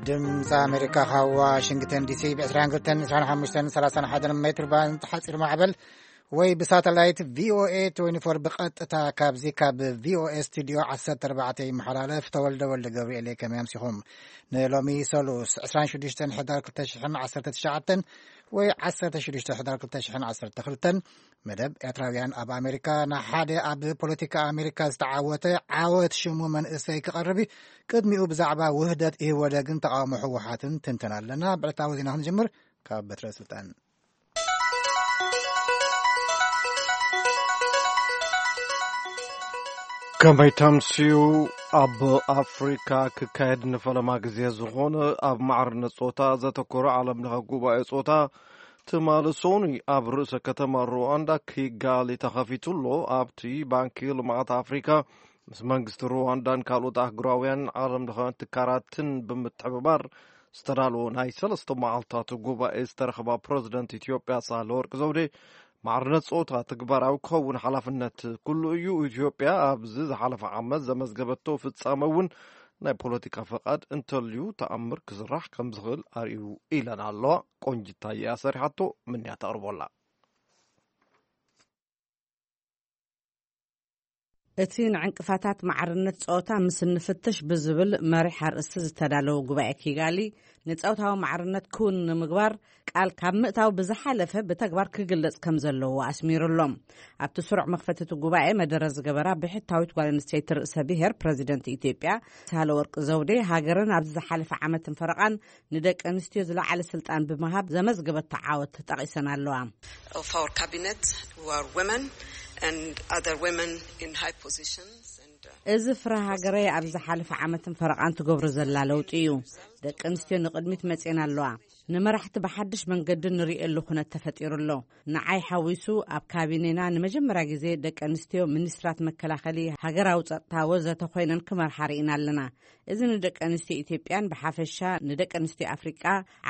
ድምፂ ኣሜሪካ ካብ ዋሽንግተን ዲሲ ብ ዕስራን ክልተን፣ ዕስራን ሓሙሽተን፣ ሰላሳን ሓደን ሜትር ባንድ ሓፂር ማዕበል ወይ ብሳተላይት ቪኦኤ ትዌንቲ ፎር ብቐጥታ ካብዚ ካብ ቪኦኤ ስቱዲዮ ዓሰርተ ኣርባዕተ ይመሓላለፍ። ተወልደ ወልደ ገብርኤል እየ። ከመይ ኣምሲኹም? ንሎሚ ሰሉስ ዕስራን ሽዱሽተን ሕዳር ክልተ ሽሕን ዓሰርተ ትሽዓተን ወይ ዓሰርተ ሽዱሽተ ሕዳር ክልተ ሽሕን ዓሰርተ ክልተን መደብ ኤርትራውያን ኣብ ኣሜሪካ ንሓደ ኣብ ፖለቲካ ኣሜሪካ ዝተዓወተ ዓወት ሽሙ መንእሰይ ክቐርብ እዩ። ቅድሚኡ ብዛዕባ ውህደት ኢህወደግን ተቃውሞ ህወሓትን ትንተን ኣለና። ብዕለታዊ ዜና ክንጅምር ካብ በትረ ስልጣን። ከመይ ተምስዩ? ኣብ ኣፍሪካ ክካየድ ንፈለማ ግዜ ዝኾነ ኣብ ማዕርነት ጾታ ዘተኮረ ዓለም ለኸ ጉባኤ ጾታ ትማሊ ሶኒ ኣብ ርእሰ ከተማ ሩዋንዳ ኪጋሊ ተኸፊቱ ኣሎ። ኣብቲ ባንኪ ልምዓት ኣፍሪካ ምስ መንግስቲ ሩዋንዳን ካልኦት ኣህጉራውያን ዓለም ለኸ ትካላትን ብምትሕብባር ዝተዳለወ ናይ ሰለስተ መዓልታት ጉባኤ ዝተረኸባ ፕረዚደንት ኢትዮጵያ ሳህለወርቅ ዘውዴ፣ ማዕርነት ጾታ ተግባራዊ ክኸውን ሓላፍነት ኩሉ እዩ። ኢትዮጵያ ኣብዚ ዝሓለፈ ዓመት ዘመዝገበቶ ፍጻመ እውን ናይ ፖለቲካ ፈቓድ እንተልዩ ተኣምር ክስራሕ ከም ዝኽእል ኣርእዩ ኢለን ኣለዋ። ቆንጅታ እያ ሰሪሓቶ፣ ምንያ ተቕርቦላ። እቲ ንዕንቅፋታት ማዕርነት ጾታ ምስ እንፍትሽ ብዝብል መሪሕ ኣርእስቲ ዝተዳለወ ጉባኤ ኪጋሊ፣ ንጾታዊ ማዕርነት ክውን ንምግባር ቃል ካብ ምእታው ብዝሓለፈ ብተግባር ክግለጽ ከም ዘለዎ ኣስሚሩ ኣሎ። ኣብቲ ስሩዕ መኽፈቲ እቲ ጉባኤ መደረ ዝገበራ ብሕታዊት ጓል ኣንስተይቲ ርእሰ ብሔር ፕረዚደንት ኢትዮጵያ ሳህለወርቅ ዘውዴ፣ ሃገረን ኣብዚ ዝሓለፈ ዓመትን ፈረቓን ንደቂ ኣንስትዮ ዝለዓለ ስልጣን ብምሃብ ዘመዝገበቶ ዓወት ጠቒሰን ኣለዋ። Of our cabinet who are women and other women in high positions and, uh, እዚ ፍረ ሃገረይ ኣብ ዝሓለፈ ዓመትን ፈረቓን ትገብሮ ዘላ ለውጢ እዩ። ደቂ ኣንስትዮ ንቕድሚት መጽኤን ኣለዋ። ንመራሕቲ ብሓድሽ መንገዲ ንርእየሉ ኩነት ተፈጢሩ ኣሎ። ንዓይ ሓዊሱ ኣብ ካቢኔና ንመጀመርያ ግዜ ደቂ ኣንስትዮ ሚኒስትራት መከላኸሊ ሃገራዊ ጸጥታ ወዘተ ኮይነን ክመርሓ ርኢና ኣለና። እዚ ንደቂ ኣንስትዮ ኢትዮጵያን ብሓፈሻ ንደቂ ኣንስትዮ ኣፍሪቃ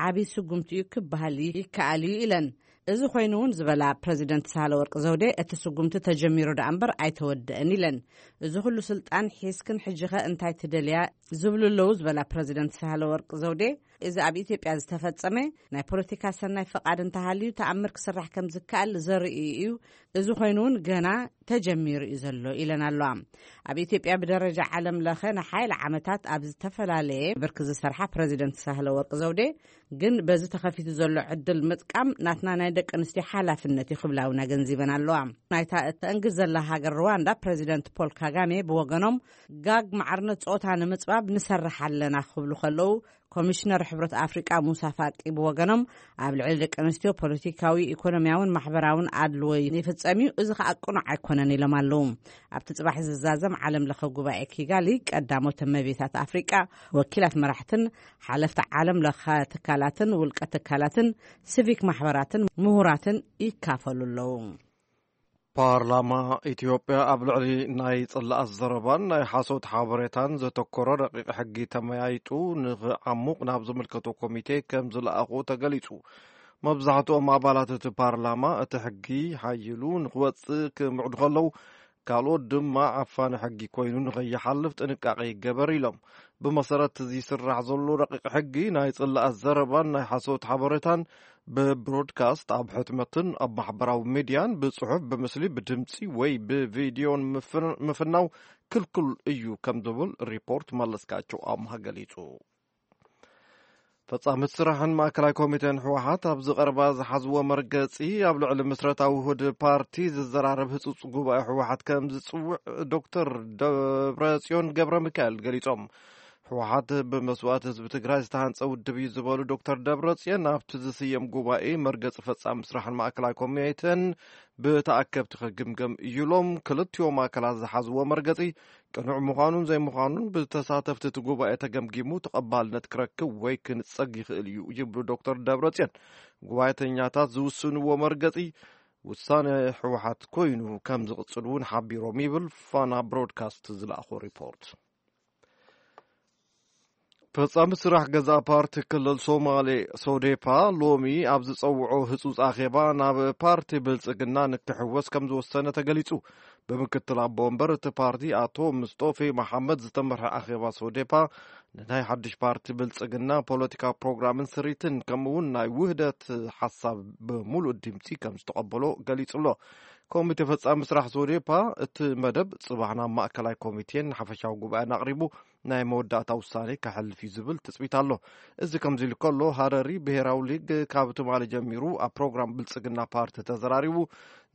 ዓቢ ስጉምቲ እዩ ክበሃል ይከኣል እዩ ኢለን። እዚ ኮይኑ እውን ዝበላ ፕረዚደንት ሳህለወርቅ ዘውዴ፣ እቲ ስጉምቲ ተጀሚሩ ደኣ እምበር ኣይተወደአን ኢለን። እዚ ኩሉ ስልጣን ሒዝክን ሕጂኸ እንታይ ትደልያ ዝብሉ ኣለዉ ዝበላ ፕረዚደንት ሳህለወርቅ ዘውዴ፣ እዚ ኣብ ኢትዮጵያ ዝተፈጸመ ናይ ፖለቲካ ሰናይ ፍቓድ እንተሃልዩ ተኣምር ክስራሕ ከም ዝከኣል ዘርኢ እዩ። እዚ ኮይኑ እውን ገና ተጀሚሩ እዩ ዘሎ ኢለን ኣለዋ። ኣብ ኢትዮጵያ ብደረጃ ዓለም ለኸ ንሓይሊ ዓመታት ኣብ ዝተፈላለየ ብርኪ ዝሰርሓ ፕረዚደንት ሳህለወርቅ ዘውዴ፣ ግን በዚ ተኸፊቱ ዘሎ ዕድል ምጥቃም ናትና ናይ ደቂ ኣንስትዮ ሓላፍነት እዩ ክብላ እውን ኣገንዚበን ኣለዋ። ናይታ እተእንግድ ዘላ ሃገር ሩዋንዳ ፕረዚደንት ፖል ካጋሜ ብወገኖም፣ ጋግ ማዕርነት ጾታ ንምጽባብ ንሰርሕ ኣለና ክብሉ ከለዉ፣ ኮሚሽነር ሕብረት ኣፍሪቃ ሙሳ ፋቂ ብወገኖም፣ ኣብ ልዕሊ ደቂ ኣንስትዮ ፖለቲካዊ፣ ኢኮኖሚያውን ማሕበራውን ኣድልዎ ይፍጸም እዩ፣ እዚ ከኣ ቅኑዕ ኣይኮነን ኢሎም ኣለዉ። ኣብቲ ጽባሕ ዝዛዘም ዓለም ለኸ ጉባኤ ኪጋሊ፣ ቀዳሞት እመቤታት ኣፍሪቃ፣ ወኪላት መራሕትን ሓለፍቲ ዓለም ለኸ ትካላትን ውልቀ ትካላትን ሲቪክ ማሕበራትን ምሁራትን ይካፈሉ ኣለዉ። ፓርላማ ኢትዮጵያ ኣብ ልዕሊ ናይ ጽላኣት ዘረባን ናይ ሓሶት ሓበሬታን ዘተኮረ ረቂቕ ሕጊ ተመያይጡ ንኽዓሙቕ ናብ ዝምልከቶ ኮሚቴ ከም ዝለኣኾ ተገሊጹ። መብዛሕትኦም ኣባላት እቲ ፓርላማ እቲ ሕጊ ሓይሉ ንኽወጽእ ክምዕዱ ከለዉ፣ ካልኦት ድማ ዓፋኒ ሕጊ ኮይኑ ንኸይሓልፍ ጥንቃቄ ይገበር ኢሎም። ብመሰረት እዚ ዝስራሕ ዘሎ ረቂቕ ሕጊ ናይ ጽላኣት ዘረባን ናይ ሓሶት ሓበሬታን ብብሮድካስት ኣብ ሕትመትን ኣብ ማሕበራዊ ሚድያን ብጽሑፍ፣ ብምስሊ፣ ብድምጺ ወይ ብቪድዮን ምፍን-፣ ምፍናው ክልኩል እዩ ከም ዝብል ሪፖርት መለስካቸው ኣምሃ ገሊጹ። ፈጻሚት ስራሕን ማእከላይ ኮሚቴን ህወሓት ኣብዚ ቀረባ ዝሓዝዎ መርገጺ፣ ኣብ ልዕሊ ምስረታዊ ውህድ ፓርቲ ዝዘራረብ ህጹጽ ጉባኤ ህወሓት ከም ዝጽውዕ ዶክተር ደብረጽዮን ገብረ ሚካኤል ገሊጾም። ህወሓት ብመስዋእቲ ህዝቢ ትግራይ ዝተሃንጸ ውድብ እዩ ዝበሉ ዶክተር ደብረጽዮን፣ ኣብቲ ዝስየም ጉባኤ መርገጺ ፈጻሚ ስራሕን ማእከላይ ኮሚቴን ብተኣከብቲ ክግምገም እዩ ኢሎም። ክልቲኦም ኣካላት ዝሓዝዎ መርገጺ ቅኑዕ ምዃኑን ዘይምዃኑን ብተሳተፍቲ እቲ ጉባኤ ተገምጊሙ ተቐባልነት ክረክብ ወይ ክንጸግ ይኽእል እዩ ይብሉ ዶክተር ደብረጽዮን። ጉባኤተኛታት ዝውስንዎ መርገጺ ውሳነ ህወሓት ኮይኑ ከም ዝቕጽል እውን ሓቢሮም ይብል ፋና ብሮድካስት ዝለኣኾ ሪፖርት። ፈጻሚ ስራሕ ገዛ ፓርቲ ክልል ሶማሌ ሶዴፓ ሎሚ ኣብ ዝጸውዖ ህጹጽ ኣኼባ ናብ ፓርቲ ብልጽግና ንክሕወስ ከም ዝወሰነ ተገሊጹ። ብምክትል ኣቦ ወንበር እቲ ፓርቲ ኣቶ ምስጦፌ መሓመድ ዝተመርሐ ኣኼባ ሶዴፓ ንናይ ሓድሽ ፓርቲ ብልጽግና ፖለቲካ ፕሮግራምን ስሪትን ከምኡ እውን ናይ ውህደት ሓሳብ ብምሉእ ድምጺ ከም ዝተቐበሎ ገሊጹ ኣሎ። ኮሚቴ ፈጻሚ ስራሕ ሶዴፓ እቲ መደብ ጽባሕ ናብ ማእከላይ ኮሚቴን ሓፈሻዊ ጉባኤን ኣቕሪቡ ናይ መወዳእታ ውሳኔ ከሕልፍ እዩ ዝብል ትጽቢት ኣሎ። እዚ ከምዚ ኢሉ ከሎ ሃረሪ ብሄራዊ ሊግ ካብ ትማሊ ጀሚሩ ኣብ ፕሮግራም ብልጽግና ፓርቲ ተዘራሪቡ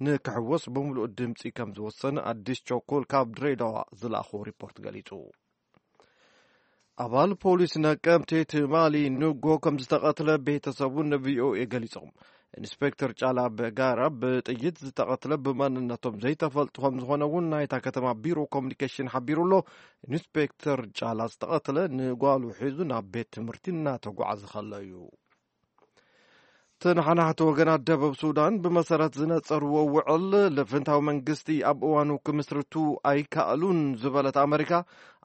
ንክሕወስ ብምሉእ ድምጺ ከም ዝወሰነ ኣዲስ ቸኮል ካብ ድሬዳዋ ዝለኣኾ ሪፖርት ገሊጹ። ኣባል ፖሊስ ነቀምቴ ትማሊ ንጎ ከም ዝተቐትለ ቤተሰቡ ንቪኦኤ ገሊጾም። ኢንስፔክተር ጫላ በጋራ ብጥይት ዝተቐትለ ብማንነቶም ዘይተፈልጡ ከም ዝኾነ እውን ናይታ ከተማ ቢሮ ኮሚኒኬሽን ሓቢሩ ኣሎ። ኢንስፔክተር ጫላ ዝተቐትለ ንጓሉ ሒዙ ናብ ቤት ትምህርቲ እናተጓዓዘ ከሎ እዩ። ተነሓናሕቲ ወገናት ደቡብ ሱዳን ብመሰረት ዝነጸርዎ ውዕል ልፍንታዊ መንግስቲ ኣብ እዋኑ ክምስርቱ ኣይከኣሉን ዝበለት ኣመሪካ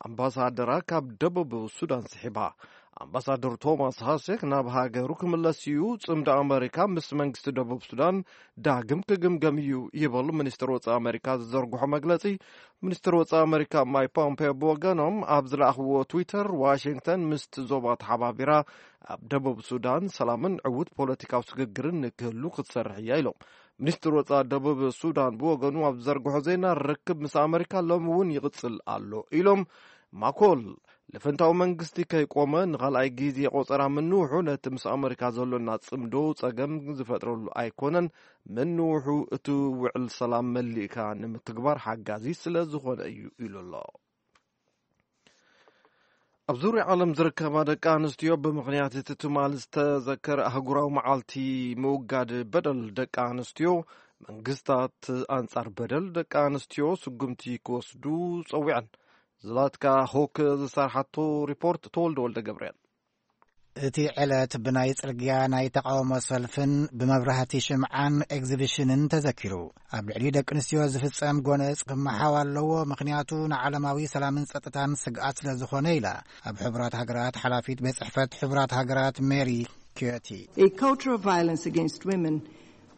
ኣምባሳደራ ካብ ደቡብ ሱዳን ስሒባ። ኣምባሳደር ቶማስ ሃሴክ ናብ ሃገሩ ክምለስ እዩ። ጽምዶ ኣመሪካ ምስ መንግስቲ ደቡብ ሱዳን ዳግም ክግምገም እዩ ይበሉ ሚኒስትር ወጻኢ ኣመሪካ ዝዘርግሖ መግለጺ። ሚኒስትር ወጻኢ ኣመሪካ ማይክ ፖምፔዮ ብወገኖም ኣብ ዝለኣኽዎ ትዊተር ዋሽንግተን ምስቲ ዞባ ተሓባቢራ ኣብ ደቡብ ሱዳን ሰላምን ዕዉት ፖለቲካዊ ስግግርን ንክህሉ ክትሰርሕ እያ ኢሎም። ሚኒስትር ወጻኢ ደቡብ ሱዳን ብወገኑ ኣብ ዝዘርግሖ ዜና ርክብ ምስ ኣመሪካ ሎሚ እውን ይቕጽል ኣሎ ኢሎም። ማኮል ልፍንታዊ መንግስቲ ከይቆመ ንኻልኣይ ግዜ ቆጸራ ምንውሑ ነቲ ምስ ኣመሪካ ዘሎና ጽምዶ ጸገም ዝፈጥረሉ ኣይኮነን፣ ምንውሑ እቲ ውዕል ሰላም መሊእካ ንምትግባር ሓጋዚ ስለ ዝኾነ እዩ ኢሉ ኣሎ። ኣብ ዙርያ ዓለም ዝርከባ ደቂ ኣንስትዮ ብምኽንያት እቲ ትማል ዝተዘከረ ኣህጉራዊ መዓልቲ ምውጋድ በደል ደቂ ኣንስትዮ መንግስታት ኣንጻር በደል ደቂ ኣንስትዮ ስጉምቲ ክወስዱ ጸዊዐን። ዝላትካ ሆክ ዝሰርሓቶ ሪፖርት ተወልደ ወልደ ገብርኤል። እቲ ዕለት ብናይ ጽርግያ ናይ ተቃውሞ ሰልፍን ብመብራህቲ ሽምዓን ኤግዚቢሽንን ተዘኪሩ። ኣብ ልዕሊ ደቂ ኣንስትዮ ዝፍጸም ጎነጽ ክመሓው ኣለዎ፣ ምኽንያቱ ንዓለማዊ ሰላምን ጸጥታን ስግኣት ስለ ዝኾነ ኢላ ኣብ ሕቡራት ሃገራት ሓላፊት ቤት ጽሕፈት ሕቡራት ሃገራት ሜሪ ኪዮቲ። A culture of violence against women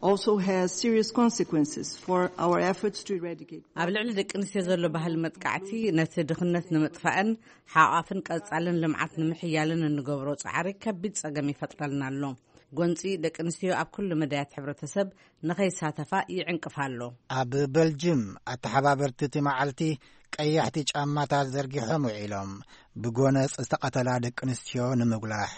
also has serious consequences for our efforts to eradicate ኣብ ልዕሊ ደቂ ኣንስትዮ ዘሎ ባህሊ መጥቃዕቲ ነቲ ድኽነት ንምጥፋእን ሓቋፍን ቀጻልን ልምዓት ንምሕያልን እንገብሮ ጻዕሪ ከቢድ ጸገም ይፈጥረልና ኣሎ። ጎንጺ ደቂ ኣንስትዮ ኣብ ኩሉ መዳያት ሕብረተሰብ ንኸይሳተፋ ይዕንቅፋ ኣሎ። ኣብ በልጅም ኣተሓባበርቲ እቲ መዓልቲ ቀያሕቲ ጫማታት ዘርጊሖም ውዒሎም ብጎነጽ ዝተቐተላ ደቂ ኣንስትዮ ንምጉላሕ።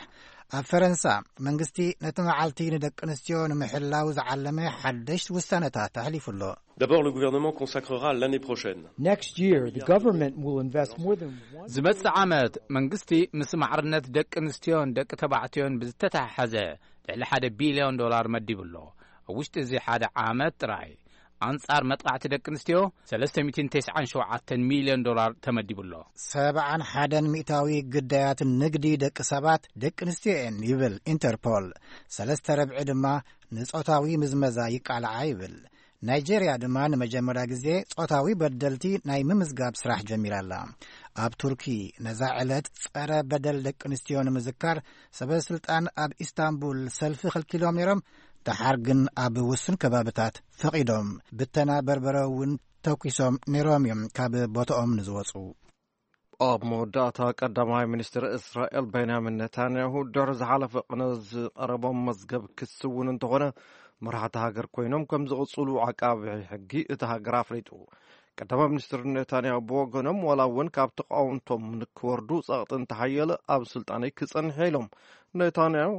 ኣብ ፈረንሳ መንግስቲ ነቲ መዓልቲ ንደቂ ኣንስትዮ ንምሕላው ዝዓለመ ሓደሽ ውሳነታት ኣሕሊፉ ኣሎ። D'abord, le gouvernement consacrera l'année prochaine. Next year, the government will invest more than one ዝመጽእ ዓመት መንግስቲ ምስ ማዕርነት ደቂ ኣንስትዮን ደቂ ተባዕትዮን ብዝተተሓሓዘ ልዕሊ ሓደ ቢልዮን ዶላር መዲቡ ኣሎ። ኣብ ውሽጢ እዚ ሓደ ዓመት ጥራይ ኣንጻር መጥቃዕቲ ደቂ ኣንስትዮ ሰለስተ ሚእትን ተስዓን ሸውዓተን ሚልዮን ዶላር ተመዲቡ ኣሎ። ሰብዓን ሓደን ሚእታዊ ግዳያት ንግዲ ደቂ ሰባት ደቂ ኣንስትዮ እየን ይብል ኢንተርፖል። ሰለስተ ረብዒ ድማ ንጾታዊ ምዝመዛ ይቃልዓ ይብል። ናይጄርያ ድማ ንመጀመርያ ግዜ ጾታዊ በደልቲ ናይ ምምዝጋብ ስራሕ ጀሚራ ኣላ። ኣብ ቱርኪ ነዛ ዕለት ጸረ በደል ደቂ ኣንስትዮ ንምዝካር ሰበ ስልጣን ኣብ ኢስታንቡል ሰልፊ ከልኪሎም ነይሮም። ደሓር ግን ኣብ ውሱን ከባብታት ፈቒዶም። ብተና በርበረ እውን ተኩሶም ነይሮም እዮም ካብ ቦታኦም ንዝወጹ። ኣብ መወዳእታ ቀዳማይ ሚኒስትር እስራኤል ቤንያሚን ኔታንያሁ ድሕሪ ዝሓለፈ ቅነ ዝቐረቦም መዝገብ ክሲ እውን እንተኾነ መራሕቲ ሃገር ኮይኖም ከም ዝቕጽሉ ዓቃቢ ሕጊ እቲ ሃገር ኣፍሊጡ። ቀዳማይ ሚኒስትር ኔታንያሁ ብወገኖም ዋላ እውን ካብ ተቃወምቶም ንክወርዱ ጸቕጢ እንተሓየለ ኣብ ስልጣነይ ክጸንሕ ኢሎም። ኔታንያሁ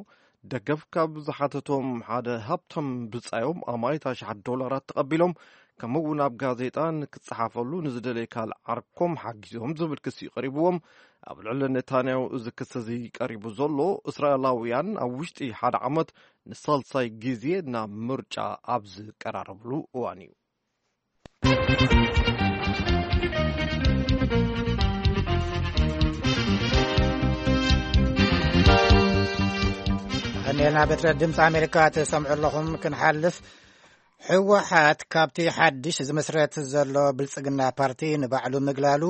ደገፍ ካብ ዝሓተቶም ሓደ ሃብቶም ብጻዮም ኣማኢት ኣሽሓት ዶላራት ተቐቢሎም ከምኡ እውን ኣብ ጋዜጣ ንክጸሓፈሉ ንዝደለየ ካልእ ዓርኮም ሓጊዞም ዝብል ክሲ ቀሪብዎም። ኣብ ልዕሊ ኔታንያሁ እዚ ክሲ እዚ ቀሪቡ ዘሎ እስራኤላውያን ኣብ ውሽጢ ሓደ ዓመት ንሳልሳይ ግዜ ናብ ምርጫ ኣብ ዝቀራረብሉ እዋን እዩ። ቀኒልና በትረ ድምፂ ኣሜሪካ ትሰምዑ ኣለኹም። ክንሓልፍ፣ ህወሓት ካብቲ ሓድሽ ዝምስረት ዘሎ ብልፅግና ፓርቲ ንባዕሉ ምግላሉ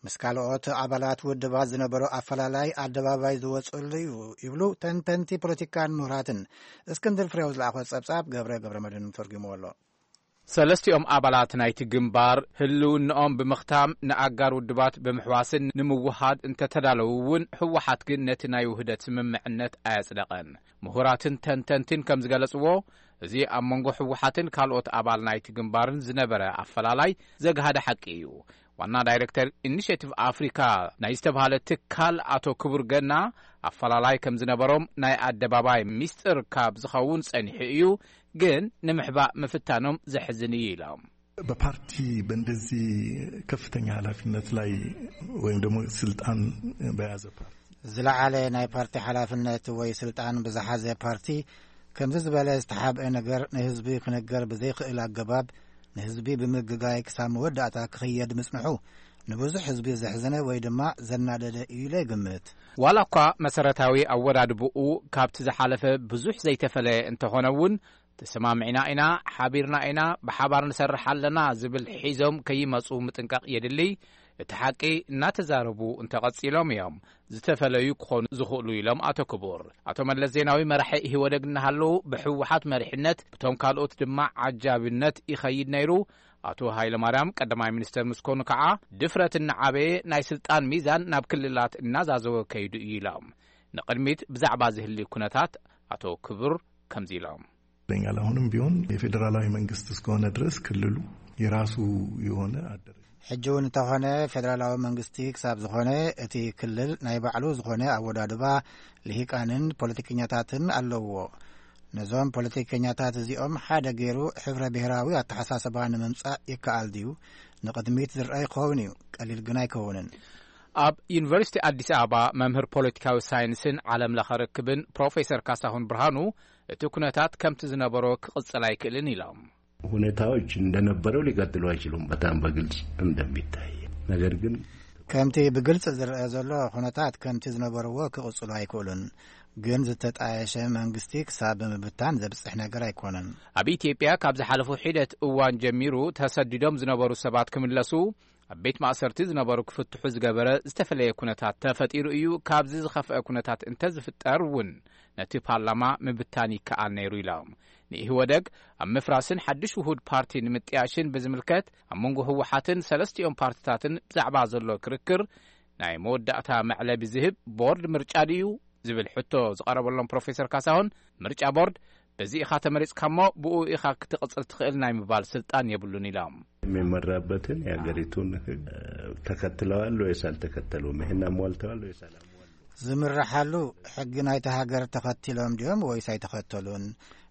ምስ ካልኦት ኣባላት ውድባት ዝነበሮ ኣፈላላይ ኣደባባይ ዝወጸሉ እዩ ይብሉ ተንተንቲ ፖለቲካን ምሁራትን። እስክንድር ፍሬው ዝለኣኾ ጸብጻብ ገብረ ገብረ መድህን ተርጉምዎ ኣሎ። ሰለስቲኦም ኣባላት ናይቲ ግንባር ህልውንኦም ብምኽታም ንኣጋር ውድባት ብምሕዋስን ንምውሃድ እንተተዳለዉ እውን፣ ህወሓት ግን ነቲ ናይ ውህደት ስምምዕነት ኣየጽደቐን። ምሁራትን ተንተንትን ከም ዝገለጽዎ፣ እዚ ኣብ መንጎ ህወሓትን ካልኦት ኣባል ናይቲ ግንባርን ዝነበረ ኣፈላላይ ዘግሃደ ሓቂ እዩ። ዋና ዳይሬክተር ኢኒሼቲቭ ኣፍሪካ ናይ ዝተብሃለ ትካል ኣቶ ክቡር ገና፣ ኣፈላላይ ከም ዝነበሮም ናይ ኣደባባይ ሚስጥር ካብ ዝኸውን ጸኒሑ እዩ፣ ግን ንምሕባእ ምፍታኖም ዘሕዝን እዩ ኢሎም። በፓርቲ በእንደዚህ ከፍተኛ ኃላፊነት ላይ ወይም ደግሞ ስልጣን በያዘ ፓርቲ ዝለዓለ ናይ ፓርቲ ሓላፍነት ወይ ስልጣን ብዝሓዘ ፓርቲ ከምዚ ዝበለ ዝተሓብአ ነገር ንህዝቢ ክነገር ብዘይክእል ኣገባብ ንህዝቢ ብምግጋይ ክሳብ መወዳእታ ክኽየድ ምጽንሑ ንብዙሕ ህዝቢ ዘሕዘነ ወይ ድማ ዘናደደ እዩ ኢለ ይግምት። ዋላ እኳ መሰረታዊ ኣወዳድብኡ ካብቲ ዝሓለፈ ብዙሕ ዘይተፈለየ እንተኾነ እውን፣ ተሰማሚዕና ኢና፣ ሓቢርና ኢና፣ ብሓባር ንሰርሕ ኣለና ዝብል ሒዞም ከይመጹ ምጥንቃቕ የድሊ። እቲ ሓቂ እናተዛረቡ እንተቐጺሎም እዮም ዝተፈለዩ ክኾኑ ዝኽእሉ ኢሎም ኣቶ ክቡር። ኣቶ መለስ ዜናዊ መራሒ ኢህወደግ እናሃለዉ ብህወሓት መሪሕነት ብቶም ካልኦት ድማ ዓጃብነት ይኸይድ ነይሩ። ኣቶ ሃይለማርያም ቀዳማይ ሚኒስተር ምስ ኮኑ ከዓ ድፍረት እናዓበየ ናይ ስልጣን ሚዛን ናብ ክልላት እናዛዘወ ከይዱ እዩ ኢሎም። ንቕድሚት ብዛዕባ ዝህሊ ኩነታት ኣቶ ክቡር ከምዚ ኢሎም። ይለኛል። አሁንም ቢሆን የፌዴራላዊ መንግስት እስከሆነ ድረስ ክልሉ የራሱ የሆነ አደረጃጀት ሕጂ እውን እንተኾነ ፌደራላዊ መንግስቲ ክሳብ ዝኾነ እቲ ክልል ናይ ባዕሉ ዝኾነ ኣወዳድባ ልሂቃንን ፖለቲከኛታትን ኣለውዎ። ነዞም ፖለቲከኛታት እዚኦም ሓደ ገይሩ ሕብረ ብሔራዊ ኣተሓሳስባ ንምምጻእ ይከኣል ድዩ? ንቕድሚት ዝረአ ይኸውን እዩ፣ ቀሊል ግን ኣይከውንን። ኣብ ዩኒቨርሲቲ ኣዲስ ኣበባ መምህር ፖለቲካዊ ሳይንስን ዓለም ለኸ ርክብን ፕሮፌሰር ካሳሁን ብርሃኑ፣ እቲ ኩነታት ከምቲ ዝነበሮ ክቕጽል ኣይክእልን ኢሎም። ሁኔታዎች እንደነበረው ሊቀጥሉ አይችሉም፣ በጣም በግልጽ እንደሚታይ። ነገር ግን ከምቲ ብግልጽ ዝረአ ዘሎ ኩነታት ከምቲ ዝነበርዎ ክቕጽሉ ኣይክእሉን። ግን ዝተጣየሸ መንግስቲ ክሳብ ብምብታን ዘብጽሕ ነገር ኣይኮነን። ኣብ ኢትዮጵያ ካብ ዝሓለፉ ሒደት እዋን ጀሚሩ ተሰዲዶም ዝነበሩ ሰባት ክምለሱ፣ ኣብ ቤት ማእሰርቲ ዝነበሩ ክፍትሑ ዝገበረ ዝተፈለየ ኩነታት ተፈጢሩ እዩ። ካብዚ ዝኸፍአ ኩነታት እንተዝፍጠር እውን ነቲ ፓርላማ ምብታን ይከኣል ነይሩ ኢሎም። ንኢህወደግ ኣብ ምፍራስን ሓድሽ ውሁድ ፓርቲ ንምጥያሽን ብዝምልከት ኣብ መንጎ ህወሓትን ሰለስቲኦም ፓርትታትን ብዛዕባ ዘሎ ክርክር ናይ መወዳእታ መዕለቢ ዝህብ ቦርድ ምርጫ ድዩ ዝብል ሕቶ ዝቐረበሎም ፕሮፌሰር ካሳሁን፣ ምርጫ ቦርድ በዚ ኢኻ ተመሪጽካ እሞ ብኡ ኢኻ ክትቕጽል ትኽእል ናይ ምባል ስልጣን የብሉን ኢሎም። የሚመራበትን የሀገሪቱን ህግ ተከትለዋል ወይስ አልተከተሉም? ይህን አሟልተዋል ወይስ አላሟሉም? ዝምርሓሉ ሕጊ ናይቲ ሃገር ተኸቲሎም ድዮም ወይስ ኣይተኸተሉን?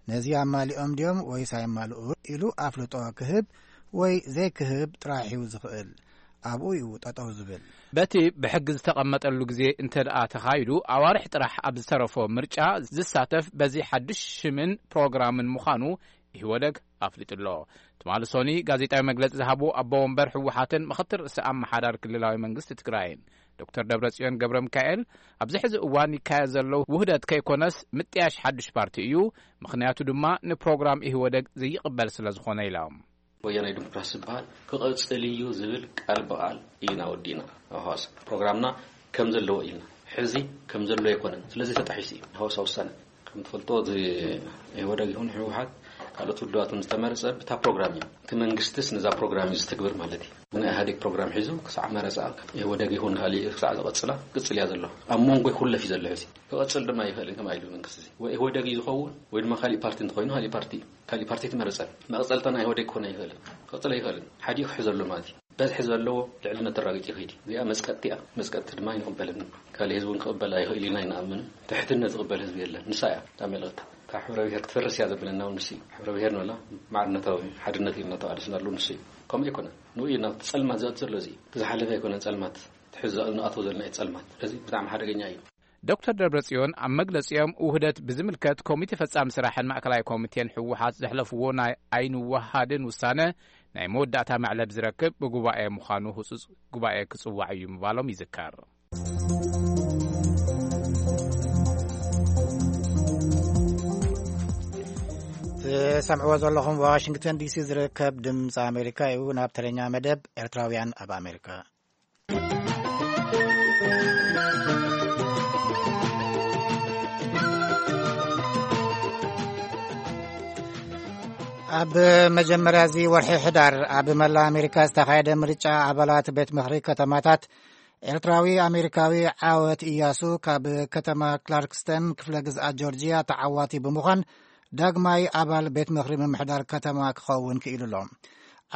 ነዚ ኣማሊኦም ድዮም ወይስ ኣየማልኡ ኢሉ ኣፍልጦ ክህብ ወይ ዘይክህብ ጥራሕ እዩ ዝኽእል። ኣብኡ እዩ ጠጠው ዝብል። በቲ ብሕጊ ዝተቐመጠሉ ግዜ እንተ ደኣ ተኻይዱ፣ ኣዋርሕ ጥራሕ ኣብ ዝተረፎ ምርጫ ዝሳተፍ በዚ ሓድሽ ሽምን ፕሮግራምን ምዃኑ ኢህወደግ ኣፍሊጡ ኣሎ። ትማሊ ሶኒ ጋዜጣዊ መግለጺ ዝሃቡ ኣቦ ወንበር ህወሓትን ምኽትል ርእሰ ኣመሓዳሪ ክልላዊ መንግስቲ ትግራይን ዶክተር ደብረጽዮን ገብረ ሚካኤል፣ ኣብዚ ሕዚ እዋን ይካየድ ዘሎ ውህደት ከይኮነስ ምጥያሽ ሓድሽ ፓርቲ እዩ፣ ምኽንያቱ ድማ ንፕሮግራም ኢህወደግ ዘይቕበል ስለ ዝኾነ ኢሎም። ወያናይ ዲሞክራሲ ዝበሃል ክቕጽል እዩ ዝብል ቃል ብቓል ኢና ወዲእና። ኣብ ሃዋሳ ፕሮግራምና ከም ዘለዎ ኢልና፣ ሕዚ ከም ዘሎ ኣይኮነን። ስለዚ ተጣሒሱ እዩ ሃዋሳ ውሳነ። ከም ትፈልጦ፣ እዚ ኢህወደግ ይኹን ህወሓት ካልኦት ውድባት ዝተመረጸ ብታ ፕሮግራም እዩ። እቲ መንግስትስ ነዛ ፕሮግራም እዩ ዝትግብር ማለት እዩ። ብናይ ኢህኣዴግ ፕሮግራም ሒዙ ክሳዕ መረጻ ኢህወደግ ይኹን ካልእ ክሳዕ ዝቐጽላ ቅጽል እያ ዘሎ። ኣብ መንጎ ይኹለፍ እዩ ዘሎ ሕዚ። ክቐጽል ድማ ይኽእል እዩ ተባሂሉ መንግስቲ እዚ። ወይ ኢህወደግ እዩ ዝኸውን ወይ ድማ ካልእ ፓርቲ እንተኾይኑ ካልእ ፓርቲ እዩ። ካልእ ፓርቲ ትመረጸ። መቐጸልታ ናይ ኢህወደግ ክኾን ኣይኽእልን። ክቕጽል ኣይኽእልን። ሓዲኡ ክሕዘሉ ማለት እዩ። በዝሒ ዘለዎ ልዕልነት ተራጊጡ ይኸይድ እዩ። እዚኣ መጽቀጥቲ እያ። መጽቀጥቲ ድማ ኣይንቕበልን። ካልእ ህዝቢ እውን ክቕበል ኣይኽእል ኢልና ኣይንኣምንን። ትሕትነት ዝቕበል ህዝቢ የለን። ንሳ እያ እታ መልእኽታ። እታ ሕብረ ብሔር ክትፈርስ እያ ዘብለና እውን ንሱ እዩ። ሕብረ ብሔር ንበላ ማዕርነታዊ ሓድነት እዩ እናተባለስና ኣለዉ ንሱ እዩ። ከምኡ ኣይኮነን። ንኡ እዩ ናብቲ ጸልማት ዘእቱ ዘሎ እዚ። እቲ ዝሓለፈ ኣይኮነን ጸልማት። እቲ ሕዚ ንኣትዎ ዘለና እዩ ጸልማት። ስለዚ ብጣዕሚ ሓደገኛ እዩ። ዶክተር ደብረጽዮን ኣብ መግለጺኦም ውህደት ብዝምልከት ኮሚቴ ፈጻሚ ስራሕን ማእከላይ ኮሚቴን ህወሓት ዘሕለፍዎ ናይ ኣይንወሃድን ውሳነ ናይ መወዳእታ መዕለብ ዝረክብ ብጉባኤ ምዃኑ ህጹጽ ጉባኤ ክጽዋዕ እዩ ምባሎም ይዝከር። ትሰምዕዎ ዘለኹም ዋሽንግተን ዲሲ ዝርከብ ድምፂ ኣሜሪካ እዩ። ናብ ተረኛ መደብ ኤርትራውያን ኣብ ኣሜሪካ። ኣብ መጀመርያ እዚ ወርሒ ሕዳር ኣብ መላእ ኣሜሪካ ዝተኻየደ ምርጫ ኣባላት ቤት ምኽሪ ከተማታት፣ ኤርትራዊ ኣሜሪካዊ ዓወት እያሱ ካብ ከተማ ክላርክስተን ክፍለ ግዝኣት ጆርጂያ ተዓዋቲ ብምዃን ዳግማይ ኣባል ቤት ምኽሪ ምምሕዳር ከተማ ክኸውን ክኢሉ ኣሎ።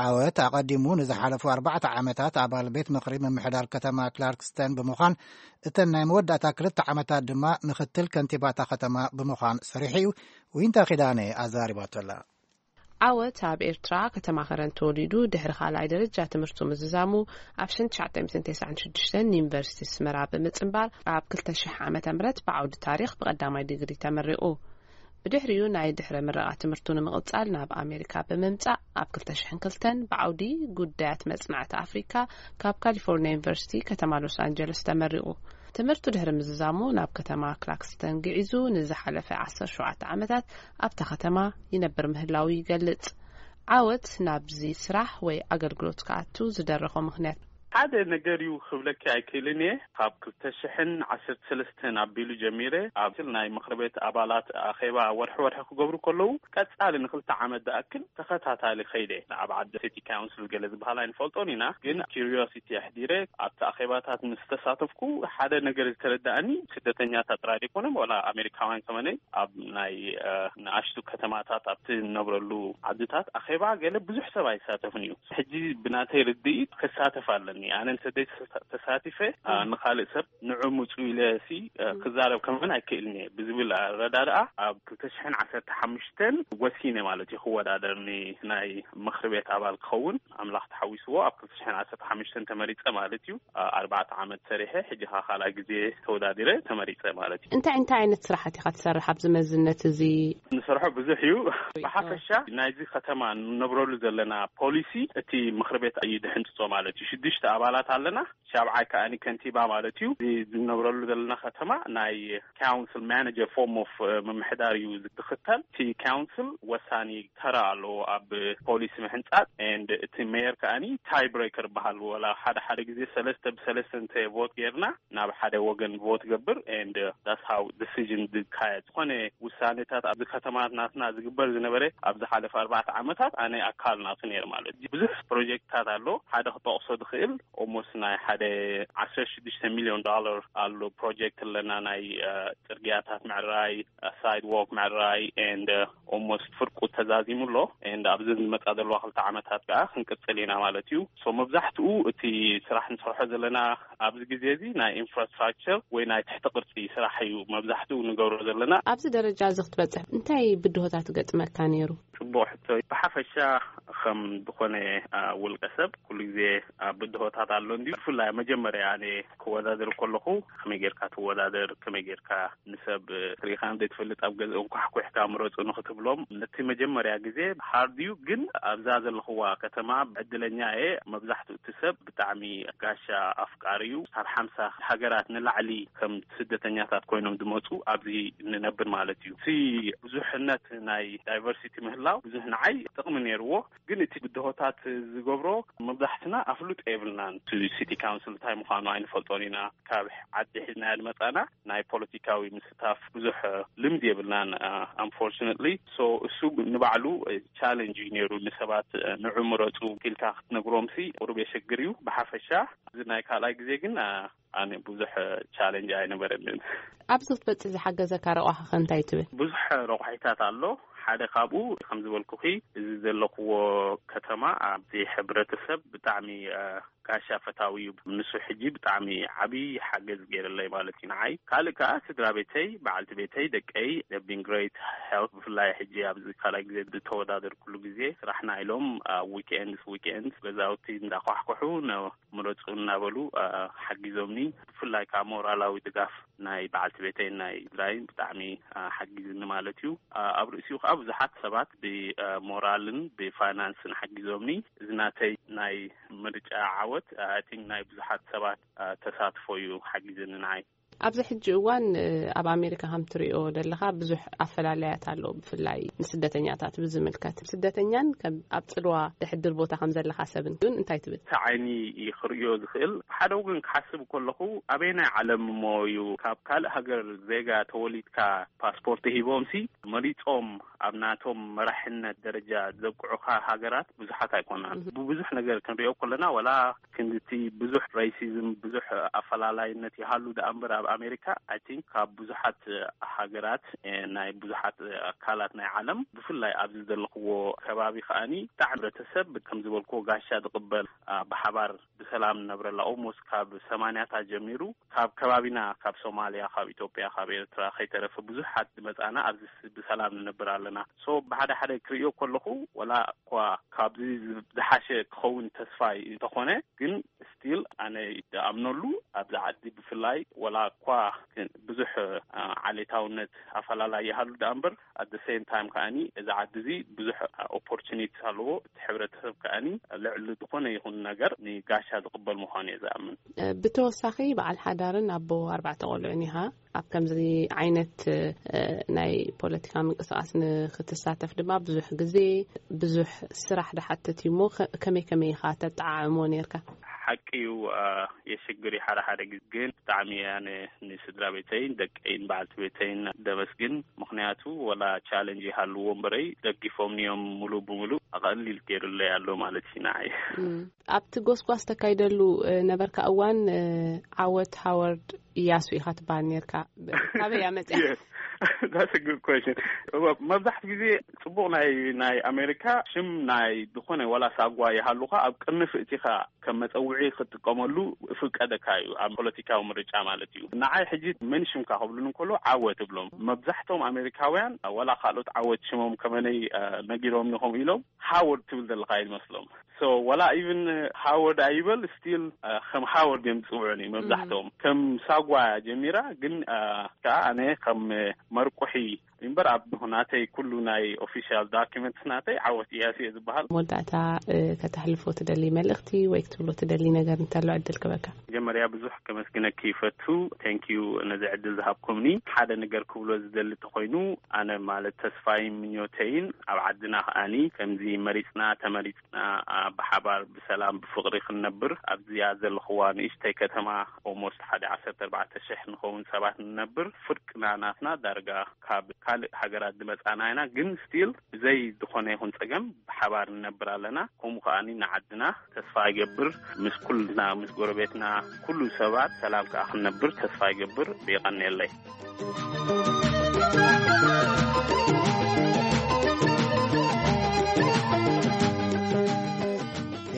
ዓወት ኣቐዲሙ ንዝሓለፉ ኣርባዕተ ዓመታት ኣባል ቤት ምኽሪ ምምሕዳር ከተማ ክላርክስተን ብምዃን፣ እተን ናይ መወዳእታ ክልተ ዓመታት ድማ ምኽትል ከንቲባታ ከተማ ብምዃን ሰሪሑ እዩ። ዊንታ ኪዳነ ኣዛሪባቶ ኣላ። ዓወት ኣብ ኤርትራ ከተማ ከረን ተወሊዱ ድሕሪ ካልኣይ ደረጃ ትምህርቱ ምዝዛሙ ኣብ ሽሕን ትሽዓተ ሚእትን ተስዓን ሽዱሽተን ንዩኒቨርሲቲ ኣስመራ ብምጽንባር ኣብ ክልተ ሽሕ ዓመተ ምህረት ብዓውዲ ታሪኽ ብቐዳማይ ዲግሪ ተመሪቑ። ብድሕሪኡ ናይ ድሕረ ምረቓ ትምህርቱ ንምቕጻል ናብ ኣሜሪካ ብምምጻእ ኣብ ክልተ ሽሕን ክልተን ብዓውዲ ጉዳያት መጽናዕቲ ኣፍሪካ ካብ ካሊፎርኒያ ዩኒቨርሲቲ ከተማ ሎስ ኣንጀለስ ተመሪቑ። ትምህርቱ ድሕሪ ምዝዛሙ ናብ ከተማ ክላክስተን ግዒዙ ንዝሓለፈ ዓሰርተ ሸውዓተ ዓመታት ኣብታ ከተማ ይነብር ምህላው ይገልጽ። ዓወት ናብዚ ስራሕ ወይ ኣገልግሎት ክኣቱ ዝደረኾ ምኽንያት ሓደ ነገር እዩ ክብለኪ ኣይክእልን እየ። ካብ ክልተ ሽሕን ዓሰርተ ሰለስተን ኣቢሉ ጀሚረ ኣብ ናይ ምኽሪ ቤት ኣባላት ኣኼባ ወርሒ ወርሒ ክገብሩ ከለዉ ቀጻሊ ንክልተ ዓመት ዝኣክል ተኸታታሊ ኸይደ። ኣብ ዓዲ ሲቲ ካውንስል ገለ ዝበሃል ኣይንፈልጦን ኢና፣ ግን ኪሪዮሲቲ ኣሕዲረ ኣብቲ ኣኼባታት ምስ ተሳተፍኩ ሓደ ነገር ዝተረዳእኒ፣ ስደተኛታት ጥራይ ዘይኮነ ዋላ ኣሜሪካውያን ከመነይ ኣብ ናይ ንኣሽቱ ከተማታት ኣብቲ ንነብረሉ ዓድታት ኣኼባ ገለ ብዙሕ ሰብ ኣይሳተፍን እዩ። ሕጂ ብናተይ ርድኢት ክሳተፍ ኣለኒ። ኣነ ንሰደይ ተሳቲፈ ንካልእ ሰብ ንዑ ምፁ ኢለ ሲ ክዛረብ ከመን ኣይክእልን እየ ብዝብል ኣረዳድኣ ኣብ ክልተ ሽሕን ዓሰርተ ሓሙሽተን ወሲነ ማለት እዩ ክወዳደር ናይ ምኽሪ ቤት ኣባል ክኸውን ኣምላኽ ተሓዊስዎ ኣብ ክልተ ሽሕን ዓሰርተ ሓሙሽተን ተመሪፀ ማለት እዩ። ኣርባዕተ ዓመት ሰሪሐ ሕጂ ኸዓ ካልኣይ ግዜ ተወዳዲረ ተመሪፀ ማለት እዩ። እንታይ እንታይ ዓይነት ስራሓት ኢኻ ትሰርሕ ኣብዚ መዝነት እዚ? ንሰርሖ ብዙሕ እዩ። ብሓፈሻ ናይዚ ከተማ ንነብረሉ ዘለና ፖሊሲ እቲ ምኽሪ ቤት እዩ ድሕንፅፆ ማለት እዩ። ሽዱሽተ ኣባላት ኣለና። ሻብዓይ ከኣኒ ከንቲባ ማለት እዩ። እዚ ዝነብረሉ ዘለና ከተማ ናይ ካውንስል ማነጀር ፎርም ኦፍ ምምሕዳር እዩ ዝክተል። እቲ ካውንስል ወሳኒ ተራ ኣለዎ ኣብ ፖሊሲ ምሕንፃፅ። And እቲ ሜየር ከኣኒ ታይ ብሬከር ይበሃል። ወላ ሓደ ሓደ ግዜ ሰለስተ ብሰለስተ እንተ ቮት ጌርና ናብ ሓደ ወገን ቮት ገብር። And that's how decision ዝካየድ። ዝኾነ ውሳኔታት ኣብዚ ከተማ ናትና ዝግበር ዝነበረ ኣብ ዝሓለፈ ኣርባዕተ ዓመታት ኣነ ኣካል ናቱ ነይር ማለት እዩ። ብዙሕ ፕሮጀክትታት ኣሎ። ሓደ ክጠቕሶ ዝኽእል ኦሞስ ናይ ሓደ ዓሰርተ ሽዱሽተ ሚሊዮን ዶላር ኣሎ ፕሮጀክት ኣለና። ናይ ፅርግያታት ምዕራይ፣ ሳይድ ዎክ ምዕራይ and ኦሞስ ፍርቁ ተዛዚሙ ኣሎ። And ኣብዚ ዝመፃ ዘለዋ ክልተ ዓመታት ከዓ ክንቅፅል ኢና ማለት እዩ። So መብዛሕትኡ እቲ ስራሕ ንሰርሖ ዘለና ኣብዚ ግዜ እዚ ናይ ኢንፍራስትራክቸር ወይ ናይ ትሕቲ ቅርፂ ስራሕ እዩ መብዛሕትኡ ንገብሮ ዘለና። ኣብዚ ደረጃ እዚ ክትበፅሕ እንታይ ብድሆታት ገጥመካ ነይሩ? ፅቡቕ ሕቶ። ብሓፈሻ ከም ዝኾነ ውልቀ ሰብ ኩሉ ግዜ ብድሆታት ኣሎ እንዲ። ብፍላይ መጀመርያ ኣነ ክወዳደር ከለኹ ከመይ ጌርካ ትወዳደር፣ ከመይ ጌርካ ንሰብ ርኢኻ ዘይትፈልጥ ኣብ ገዝኦም ኳሕኩሕካ ምረፁ ንክትብሎም ነቲ መጀመርያ ግዜ ሃርድ እዩ። ግን ኣብዛ ዘለኽዋ ከተማ ዕድለኛ እየ። መብዛሕትኡ እቲ ሰብ ብጣዕሚ ጋሻ ኣፍቃሪ እዩ። ካብ ሓምሳ ሃገራት ንላዕሊ ከም ስደተኛታት ኮይኖም ዝመፁ ኣብዚ ንነብር ማለት እዩ። እቲ ብዙሕነት ናይ ዳይቨርሲቲ ምህላው ብዙሕ ንዓይ ጥቕሚ ነይርዎ። ግን እቲ ብድሆታት ዝገብሮ መብዛሕትና ኣፍሉጦ የብልናን። እቲ ሲቲ ካውንስል እንታይ ምዃኑ ኣይንፈልጦን ኢና። ካብ ዓዲ ሒዝናዮ ዝመፃና ናይ ፖለቲካዊ ምስታፍ ብዙሕ ልምዲ የብልናን። ኣንፎርችነትሊ ሶ እሱ ንባዕሉ ቻለንጅ እዩ ነይሩ። ንሰባት ንዑ ምረፁ ኢልካ ክትነግሮምሲ ቁሩብ የሸግር እዩ። ብሓፈሻ እዚ ናይ ካልኣይ ግዜ ግን ኣነ ብዙሕ ቻለንጅ ኣይነበረንን። ኣብዚ ክትበፅሕ ዝሓገዘካ ረቋሒ ከ እንታይ ትብል? ብዙሕ ረቋሒታት ኣሎ። ሓደ ካብኡ ከም ዝበልኩኺ እዚ ዘለኽዎ ከተማ ኣብዚ ሕብረተሰብ ብጣዕሚ ጋሻ ፈታዊ እዩ። ንሱ ሕጂ ብጣዕሚ ዓብዪ ሓገዝ ገይርለይ ማለት እዩ ንዓይ። ካልእ ከዓ ስድራ ቤተይ፣ በዓልቲ ቤተይ፣ ደቀይ have been great help። ብፍላይ ሕጂ ኣብዚ ካልኣይ ግዜ ዝተወዳደርኩሉ ግዜ ስራሕና ኢሎም ዊኬንድስ ዊኬንድስ ገዛውቲ እንዳኳሕኩሑ ምረፁ እናበሉ ሓጊዞምኒ። ብፍላይ ከዓ ሞራላዊ ድጋፍ ናይ በዓልቲ ቤተይን ናይ ስድራይን ብጣዕሚ ሓጊዝኒ ማለት እዩ። ኣብ ርእሲኡ ከዓ ብዙሓት ሰባት ብሞራልን ብፋይናንስን ሓጊዞምኒ። እዚ ናተይ ናይ ምርጫ ዓወት ኣይ ቲንክ ናይ ብዙሓት ሰባት ተሳትፎ እዩ ሓጊዝኒ ንዓይ። ኣብዚ ሕጂ እዋን ኣብ ኣሜሪካ ከም ትሪኦ ዘለኻ ብዙሕ ኣፈላለያት ኣሎ፣ ብፍላይ ንስደተኛታት ብዝምልከት። ስደተኛን ኣብ ፅልዋ ድሕድር ቦታ ከም ዘለኻ ሰብን ግን እንታይ ትብል? እቲ ዓይኒ ክርእዮ ዝኽእል ሓደ ወገን ክሓስብ ከለኹ፣ ኣበየናይ ዓለም እሞ እዩ ካብ ካልእ ሃገር ዜጋ ተወሊድካ ፓስፖርት ሂቦምሲ መሪጾም ኣብ ናቶም መራሕነት ደረጃ ዘብቅዑኻ ሃገራት ብዙሓት ኣይኮናን። ብብዙሕ ነገር ክንሪኦ ከለና፣ ወላ ክንድቲ ብዙሕ ሬሲዝም፣ ብዙሕ ኣፈላላይነት ይሃሉ ደኣ እምበር፣ ኣብ ኣሜሪካ፣ I think፣ ካብ ብዙሓት ሃገራት፣ ናይ ብዙሓት ኣካላት ናይ ዓለም፣ ብፍላይ ኣብዚ ዘለኽዎ ከባቢ ከኣኒ፣ ብጣዕሚ ሕብረተሰብ ከም ዝበልክዎ ጋሻ ዝቕበል፣ ብሓባር ብሰላም ንነብረላ። ኦልሞስት ካብ ሰማንያታት ጀሚሩ ካብ ከባቢና፣ ካብ ሶማልያ፣ ካብ ኢትዮጵያ፣ ካብ ኤርትራ ከይተረፈ ብዙሓት ዝመጻና ኣብዚ ብሰላም ንነብር ኣለና። ሶ ብሓደ ሓደ ክርእዮ ከለኹ፣ ወላ እኳ ካብዚ ዝሓሸ ክኸውን ተስፋ እንተኾነ፣ ግን ስቲል ኣነ ዝኣምነሉ ኣብዚ ዓዲ ብፍላይ፣ ወላ እኳ ብዙሕ ዓሌታውነት ኣፈላላይ ይሃሉ ደኣ እምበር፣ ኣት ሴም ታይም ከኣኒ እዚ ዓዲ እዚ ብዙሕ ኦፖርቹኒቲ ኣለዎ። እቲ ሕብረተሰብ ከኣኒ ልዕሊ ዝኾነ ይኹን ነገር ንጋሻ ዝቕበል ምዃኑ እየ ዝኣምን። ብተወሳኺ በዓል ሓዳርን ኣቦ ኣርባዕተ ቆልዑን ኢኻ። ኣብ ከምዚ ዓይነት ናይ ፖለቲካ ምንቅስቃስ ንክትሳተፍ ድማ ብዙሕ ግዜ፣ ብዙሕ ስራሕ ድሓትት እዩ እሞ፣ ከመይ ከመይ ኢኻ ተጠዓዕሞ ነርካ? ሓቂ እዩ፣ የሽግር እዩ ሓደ ሓደ ግዜ፣ ግን ብጣዕሚ እያ ንስድራ ቤተይን ደቀይን በዓልቲ ቤተይን ደመስግን። ምኽንያቱ ወላ ቻለንጅ ይሃልዎ እምበረይ፣ ደጊፎምኒ እዮም ሙሉእ ብሙሉእ። ኣቐሊል ገይሩለይ ኣሎ ማለት እዩ ንዓይ። ኣብቲ ጎስጓስ ተካይደሉ ነበርካ እዋን፣ ዓወት ሃወርድ እያሱ ኢኻ ትበሃል ነርካ። ካበይ እያ መፅያ? That's a good question. መብዛሕትኡ ግዜ ፅቡቕ ናይ ናይ ኣሜሪካ ሽም ናይ ዝኾነ ዋላ ሳጓ ይሃሉኻ ኣብ ቅርኒ ፍእቲኻ ከም መጸውዒ ክትጥቀመሉ ፍቀደካ እዩ፣ ኣብ ፖለቲካዊ ምርጫ ማለት እዩ። ንዓይ ሕጂ መን ሽምካ ክብሉን እንከሎ ዓወት እብሎም። መብዛሕቶም ኣሜሪካውያን ዋላ ካልኦት ዓወት ሽሞም ከመነይ ነጊሮም ኢኹም ኢሎም ሃወርድ ትብል ዘለኻ ይመስሎም። So ዋላ ኢቭን ሃወርድ ኣይበል፣ ስቲል ከም ሃወርድ እዮም ዝጽውዑኒ መብዛሕቶም። ከም ሳጓ ጀሚራ ግን፣ ከዓ ኣነ ከም መርቁሒ እምበር ኣብ ናተይ ኩሉ ናይ ኦፊሻል ዶኪመንትስ ናተይ ዓወት እያሱ እየ ዝበሃል። መወዳእታ ከተሕልፎ ትደሊ መልእኽቲ ወይ ክትብሎ ትደሊ ነገር እንተሎ ዕድል ክበካ። መጀመርያ ብዙሕ ከመስግነኪ ይፈቱ። ቴንኪዩ ነዚ ዕድል ዝሃብኩምኒ። ሓደ ነገር ክብሎ ዝደሊ ተኾይኑ፣ ኣነ ማለት ተስፋይን ምኞተይን ኣብ ዓድና ከኣኒ ከምዚ መሪጽና ተመሪጽና ብሓባር ብሰላም ብፍቕሪ ክንነብር ኣብዚኣ ዘለኽዋ ንእሽተይ ከተማ ኦልሞስት ሓደ ዓሰርተ ኣርባዕተ ሽሕ ንኸውን ሰባት ንነብር። ፍርቅና ናትና ዳርጋ ካብ ካልእ ሃገራት ዝመጻና ኢና፣ ግን ስቲል ብዘይ ዝኾነ ይኹን ጸገም ብሓባር ንነብር ኣለና። ከምኡ ከኣኒ ንዓድና ተስፋ ይገብር፣ ምስ ኩልና ምስ ጎረቤትና ኩሉ ሰባት ሰላም ከኣ ክንነብር ተስፋ ይገብር። የቐንየለይ።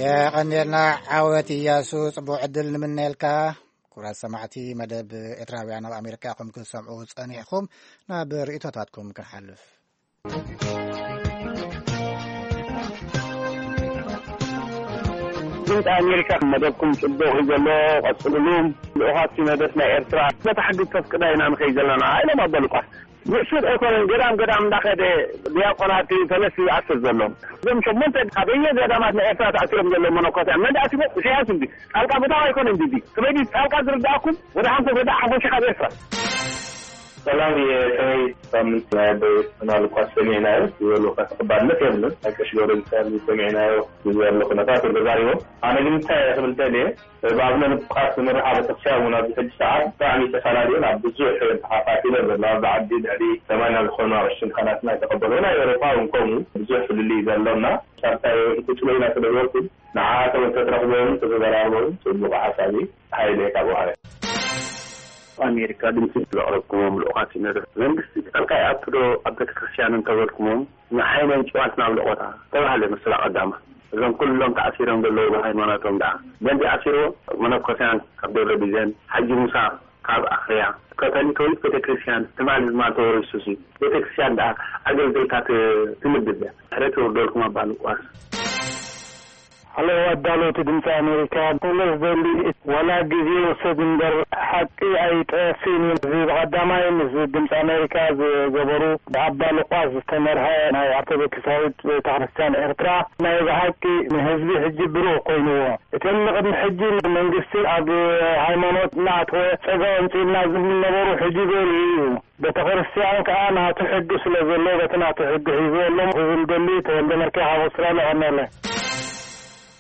የቐንየልና ዓወት እያሱ፣ ጽቡቕ ዕድል ንምነየልካ። ክቡራት ሰማዕቲ መደብ ኤርትራውያን ኣብ ኣሜሪካ ኢኹም ክትሰምዑ ጸኒሕኹም፣ ናብ ርእይቶታትኩም ክንሓልፍ። ድምፂ ኣሜሪካ መደብኩም ጽቡቕ እዩ ዘሎ፣ ቀጽልሉ። ልኡኻት ሲኖዶስ ናይ ኤርትራ በታ ሕጊ ተፍቅዳ ኢና ንኸይድ ዘለና ኢሎም ኣቦ ሉቃስ። ንሱ ኣይኮነን፣ ገዳም ገዳም እንዳኸደ ዲያቆናት ፈለስቲ ዝኣስር ዘሎ። እዞም ሸሞንተ ኣብ ገዳማት ናይ ኤርትራ ተኣሲሮም ዘለዉ መነኮስያን መን ኣሲሮም? ኢሳያስ እንዲ። ጣልቃ ምእታው ኣይኮነን ድዩ? ከመይ ድዩ ጣልቃ ዝርድኣኩም? ወደ ሓንኮ ገዳ ሓንኮ ሸኻ ኤርትራ። ሰላም፣ የሰይ ሳምንት ናይ ኣቦ ዮናስ ሉቃስ ሰሚዕናዮ፣ ዝበሉ ተቐባልነት የብሉን። ናይ ቀሺ ገብረ ሚካኤል ሰሚዕናዮ፣ ዝበሉ ኩነታት ተዛሪቦም። ኣነ ግን እንታይ ክብል ደልየ፣ ብኣቡነ ሉቃስ ዝምርሓ ቤተክርስትያን እውን ኣብዚ ሕጂ ሰዓት ብጣዕሚ ተፈላለየን ኣብ ብዙሕ ተኸፋፊለን ዘለዋ፣ ኣብዚ ዓዲ ልዕሊ ሰማንያ ዝኾኑ ኣቕሽቲ ካህናትና ዝተቐበሉ፣ ናይ ኤውሮጳ እውን ከምኡ ብዙሕ ፍልልይ ዘሎና። ሳልሳይ ክጽሎ ኢና ስለ ዝበልኩ፣ ንዓኻቶም እንተትረኽቦምን እንተተዘራርቦምን ጽቡቕ ሓሳብ እዩ። ሃይለ ካብ ውሃ። ኣሜሪካ ድምፂ ዘቕረብኩሞም ልኡኻት ሲኖዶስ መንግስቲ ጣልቃ ይኣቱ ዶ ኣብ ቤተክርስትያን እንተበልኩሞም፣ ንሓይለን ጭዋት ናብ ልቆታ ተባህለ ምስላ ቀዳማ። እዞም ኩሎም ተኣሲሮም ዘለዉ ብሃይማኖቶም ደኣ መን ኣሲርዎ? መነኮስያን ካብ ደብረ ቢዘን፣ ሓጂ ሙሳ ካብ ኣኽርያ፣ ካቶሊካዊት ቤተክርስትያን ትማል ዝማል ተወሪሱሲ ቤተክርስትያን ደኣ ኣገልገልካ ት-፣ ትምድብ እያ። ሕረት ይወርደልኩም ኣባ ሉቃስ። ኣለዉ ኣዳለውቲ ድምፂ ኣሜሪካ፣ ክብሎ ዝደሊ፣ ዋላ ግዜ ይውሰድ እምበር ሓቂ ኣይጠፍእን እዩ። እዚ ብቐዳማይ ምስ ድምፂ ኣሜሪካ ዝገበሩ ብኣባ ሉቃስ ዝተመርሐ ናይ ኦርቶዶክሳዊት ቤተክርስትያን ኤርትራ ናይ ብሓቂ ንህዝቢ ሕጂ ብሩህ ኮይንዎ። እቶም ንቕድሚ ሕጂ መንግስቲ ኣብ ሃይማኖት እናኣተወ ጸጋ ኣምጺእልና ዝብሉ ነበሩ፣ ሕጂ ገይሩ እዩ። ቤተክርስትያን ከኣ ናቱ ሕጊ ስለ ዘሎ በቲ ናቱ ሕጊ ሒዝዎ ኣሎ ክብል ደሊ። ተወልደ መርኬ ካብ ኣውስትራልያ ቀነለ።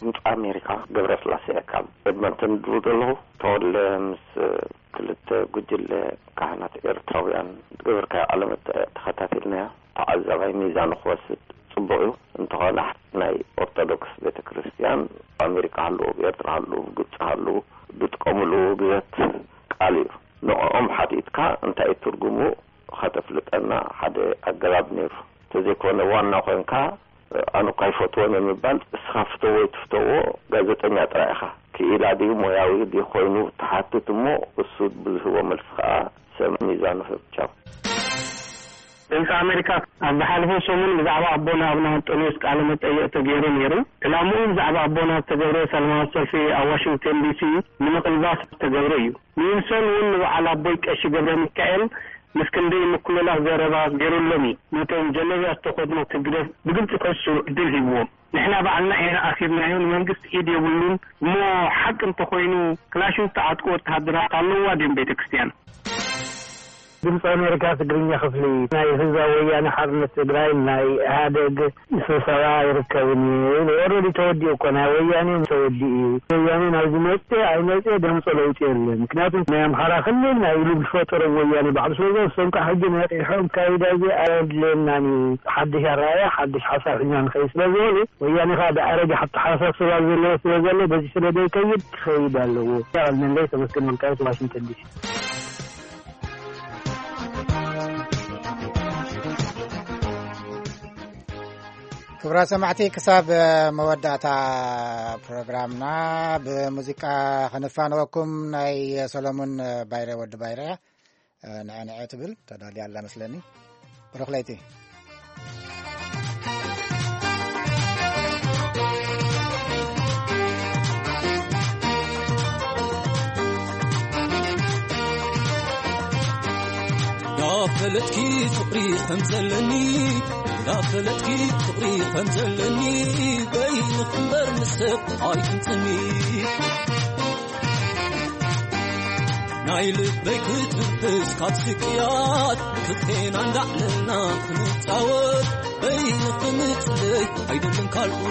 ድምፂ ኣሜሪካ፣ ገብረስላሴ ካብ ኤድመንተን ድውል ዘለኹ። ተወልደ፣ ምስ ክልተ ጉጅለ ካህናት ኤርትራውያን ዝገበርካዮ ቃለ መጠይቕ ተኸታቲልናዮ። ተዓዛባይ ሚዛኑ ክወስድ ጽቡቕ እዩ። እንተኾነ ናይ ኦርቶዶክስ ቤተ ክርስቲያን ኣብ ኣሜሪካ ሃለዉ፣ ኣብ ኤርትራ ሃለዉ፣ ኣብ ግብጺ ሃለዉ፣ ዝጥቀምሉ ውግዘት ቃል እዩ። ንዕኦም ሓቲትካ እንታይ እዩ ትርጉሙ ከተፍልጠና ሓደ ኣገባብ ነይሩ። እንተዘይኮነ ዋና ኮንካ ኣነ እኳ ኣይፈትዎን እየ ምባል፣ እስኻ ፍተዎ ኣይትፍተዎ ጋዜጠኛ ጥራይ ኢኻ። ክኢላ ድዩ ሞያዊ ድዩ ኮይኑ ትሓትት እሞ እሱ ብዝህቦ መልሲ ከኣ ሰብ ሚዛኑ ህብ። ቻው። ድምፂ ኣሜሪካ ኣብ ዝሓለፈ ሰሙን ብዛዕባ ኣቦና ኣቡነ ኣንጦንዮስ ቃለ መጠይቕ ተገይሩ ነይሩ። ዕላምኡ ብዛዕባ ኣቦና ዝተገብረ ሰላማዊ ሰልፊ ኣብ ዋሽንግተን ዲሲ ንምቕልባስ ዝተገብረ እዩ። ዊልሶን እውን ንበዓል ኣቦይ ቀሺ ገብረ ሚካኤል ምስ ክንደይ ምክልላት ዘረባ ገይሩሎም እዩ። ነቶም ጀለብያ ዝተኸድኑ ህግደፍ ብግልፂ ክሕሱ ዕድል ሂብዎም። ንሕና ባዕልና ኢና ኣሲርናዮ፣ ንመንግስቲ ኢድ የብሉን። እሞ ሓቂ እንተኾይኑ ክላሽን ዝተዓጥቁ ወተሃደራት ኣለውዋ ድዮም ቤተ ክርስቲያን? ድምፂ ኣሜሪካ ትግርኛ ክፍሊ ናይ ህዝባዊ ወያነ ሓርነት ትግራይ ናይ ኢህኣደግ ስብሰባ ይርከብን እዩ ኢሉ። ኦልሬዲ ተወዲኡ እኮ፣ ናይ ወያኔ ተወዲኡ እዩ። ወያኔ ናብዚ መፅእ ኣይመፅእ ደምፆ ለውጢ የለን። ምክንያቱ ናይ ኣምሓራ ክልል ናይ ኢሉ ዝፈጠሮም ወያኔ ባዕሉ ስለ ዝኾነ፣ እሶም ከዓ ሕጂ ነቂሖም ካይዳ እዚ ኣየድልየናን እዩ፣ ሓድሽ ኣረኣእያ ሓድሽ ሓሳብ ሒዝና ንኸይድ ስለ ዝበሉ፣ ወያኔ ከዓ ብኣረገ ኣተሓሳስባ ዘለዎ ስለ ዘሎ በዚ ስለ ዘይከይድ ክኸይድ ኣለዎ። ያው ነንደይ ተመስገን ወልቃይት ዋሽንግተን ዲሲ። ክቡራት ሰማዕቲ፣ ክሳብ መወዳእታ ፕሮግራምና ብሙዚቃ ክንፋነወኩም። ናይ ሰሎሙን ባይረ፣ ወዲ ባይረ፣ ንዐ ንዐ ትብል ተዳልያ ኣላ መስለኒ። ብሩኽ ለይቲ። ዳፈለጥኪ ፍቕሪ ከም ዘለኒ፣ ዳፈለጥኪ ፍቕሪ ከም ዘለኒ፣ በይንኺ እምበር ምስ ሰብ ኣይትንጽኒ። ናይ ልበይ ክትንፍስ ካብ ስቅያት፣ ክልቴና እንዳዕለልና ክንጻወት፣ በይንኺ ምጽለይ ኣይደልን ካልኡ።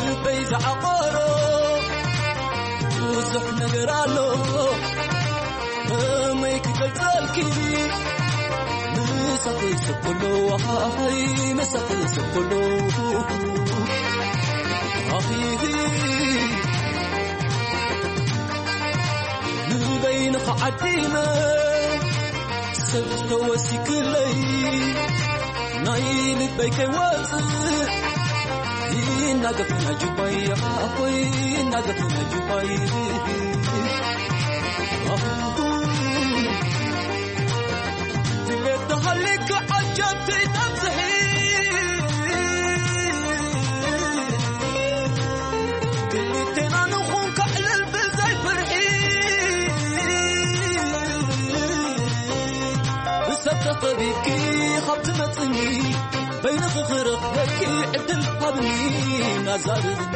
ልበይ ዝዓቆሮ ብዙሕ ነገር ኣሎ፣ ከመይ ክገልጸልኪ? ምሳኺ ስኩሉ፣ ኣይ፣ ምሳኺ ስኩሉ። ኣኺ ንበይንኺ ዓዲመ ሰብ ተወሲክለይ፣ ናይ ልበይ ከይወጽእ ይናገፍ ናይ ጁባይ፣ ኣኾይ ይናገፍ ናይ ጁባይ። ድሌት ተሃሊካ ዓጀብቲ ተብዝሒ፣ ክልቴና ንኹን ከዕልል ብዘይ ፍርሒ። ብሰብ ተኸቢብኪ ካብ ትመጽኒ፣ በይንኺ ክረኽበኪ ዕድል ሃብኒ፣ ናዛርብኒ።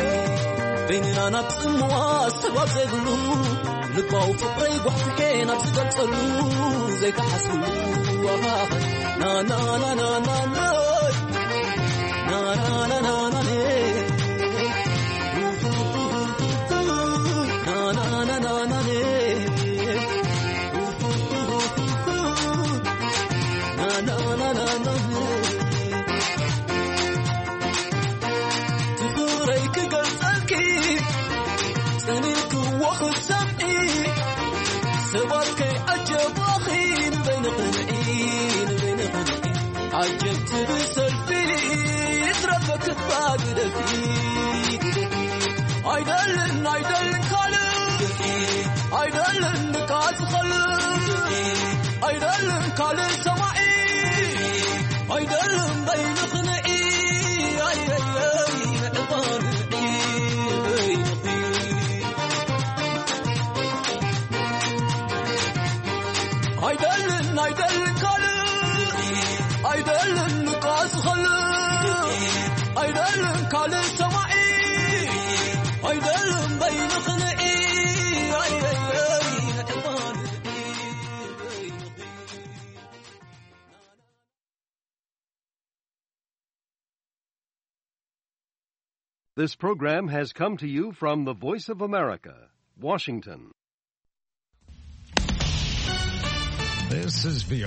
በይንና ናብ ጽምዋ ሰባብ ዘይብሉ፣ ልባዊ ፍቕረይ ጓሕፊሐ ናብ ዝገልጸሉ ዘይተሓስብሉ። ና፣ ና፣ ና፣ ና፣ ና፣ ና። ና፣ ና፣ ና፣ ና፣ ና፣ ኔ። ና፣ ና፣ ና፣ ና፣ ና፣ ኔ። ና፣ ና፣ ና፣ ና፣ ና፣ ኔ። ፍቕረይ ክገልጸልኪ ጸኒሕክዎ ክትሰምዒ፣ ሰባት ከይዓጀባኺ ንበይንኺ ንዒ፣ ንበይንኺ ንዒ። ዓጀብቲ ብሰልፊ ይትረፈ ክባግደልኪ። ኣይደልን፣ ኣይደልን ካልእ፣ ኣይደልን ድቃስ ዝኸልእ፣ ኣይደልን ካልእ ሰማዒ። ኣይደልን በይንኽንዒ ኣየየይ ዕባንዒ በይንኺ ኣይደልን ኣይደልን ካልእ ኣይደልን ንቃስ ኸልእ ኣይደልን ካልእ ሰማዒ ኣይደልን በይንኽንዒ ኣየየይ ዕባንዒ በይንኺ This program has come to you from the Voice of America, Washington. This is V O A.